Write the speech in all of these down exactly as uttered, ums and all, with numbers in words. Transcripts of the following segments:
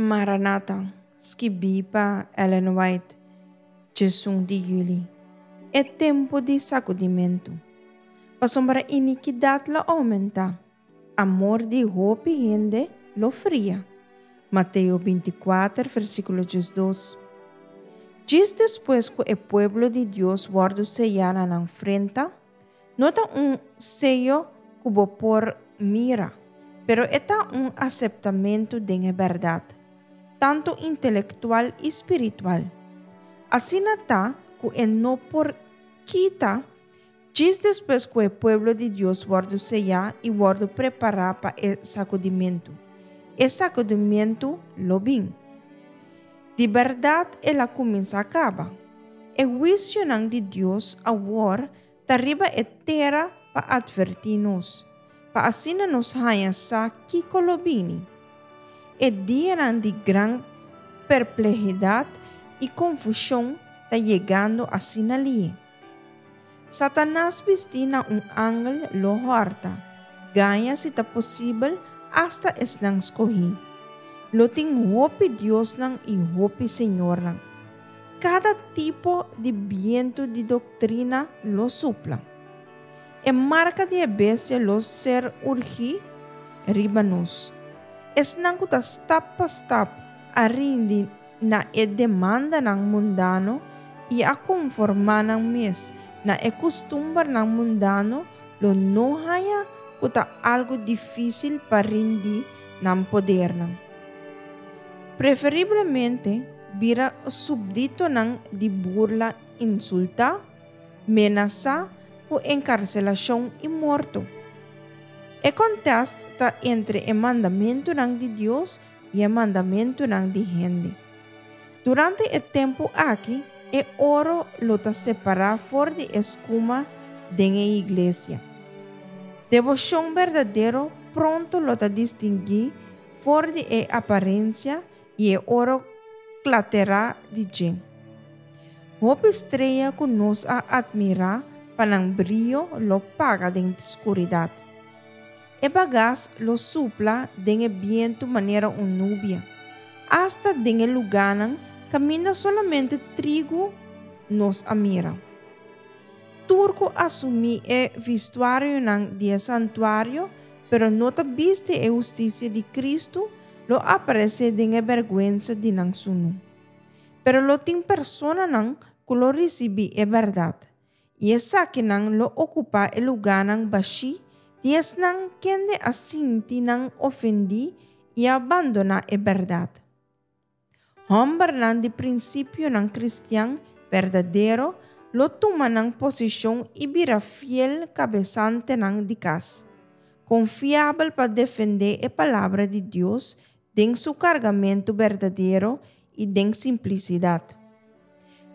Maranata, skibí pa Ellen White, diesun di yüli. E tempu di sakudimentu. Pasobra inikidat lo oumentá. Amor di hopi hende lo fria. Mateo binti kuater, versíkulo diesdos. Djis despues ku e pueblo di Dios wòrdu seyá na nan frenta, no ta un seyo ku bo por mira, pero e ta un aseptamentu di bèrdat, tantu intelektual i spiritual. Asina ta ku e no por kita djis despues ku e pueblo di Dios wòrdu seyá i wòrdu prepará pa e sakudimentu. E sakudimentu lo bin. Di bèrdat el a kuminsá kaba. E huisio di Dios awor ta riba e tera pa atvertí nos, pa asina nos haña sa kiko lo bini. E dianan di gran perplehidat i konfushon ta yegando asina lihé. Satanas bistí na un angel lo hòrta, gaña si ta posibel hasta esnan skohí. Lo tin hopi diosnan i hopi señornan. Kada tipo di bientu di doktrina lo supla. E marka di bestia lo ser urgí riba nos. Esnan ku ta stap pa stap a rindi na e demandanan mundano i a konformá nan mes na e kustumbernan mundano lo no haña ku ta algu difísil pa rindi nan podernan. Preferiblemente bira súbditonan di burla, insultá, menasá ku enkarselashon i morto. E kontesta ta entre e mandamentunan di Dios i e mandamentunan di hende. Durante e tempu aki, e oro lo ta separá for di e skuma den e iglesia. Deboshon berdadero pronto lo ta distinguí for di e aparensia i e oro klaterá di dje. Hopi strea ku nos a atmirá pa nan brio lo paga den skuridat. E bagas lo supla den e bientu manera un nubia. Hasta den e lugánan kaminda solamente trigo nos a mira. Tur ku asumí e vestuarionan di santuario, pero no ta bisti e hustisia di Kristu, lo aparesé den e bèrgwensa di nan sunú. Pero lo tin personanan ku lo risibí e bèrdat. I esakinan lo okupá e lugánan bashí di esnan kende a sinti nan ofendí i a bandoná e bèrdat. Hòmbernan di prinsipionan kristian berdadero lo tuma nan posishon i bira fiel kabesantenan di kas, konfiabel pa defendé e palabra di Dios den su kargamentu berdadero i den simplisidat.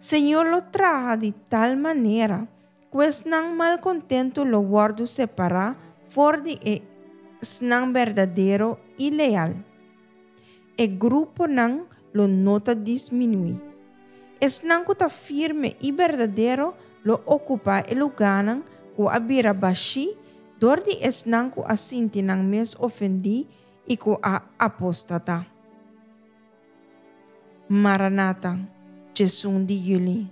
Señor lo traha di tal manera ku esnan malkontentu lo wòrdu separá for di esnan berdadero i leal. E gruponan lo no ta disminuí. Esnan ku ta firme i berdadero lo okupá e lugánan ku a bira bashí dor di esnan ku a sinti nan mes ofendí i ku a apostatá. Maranata, diesun di yüli.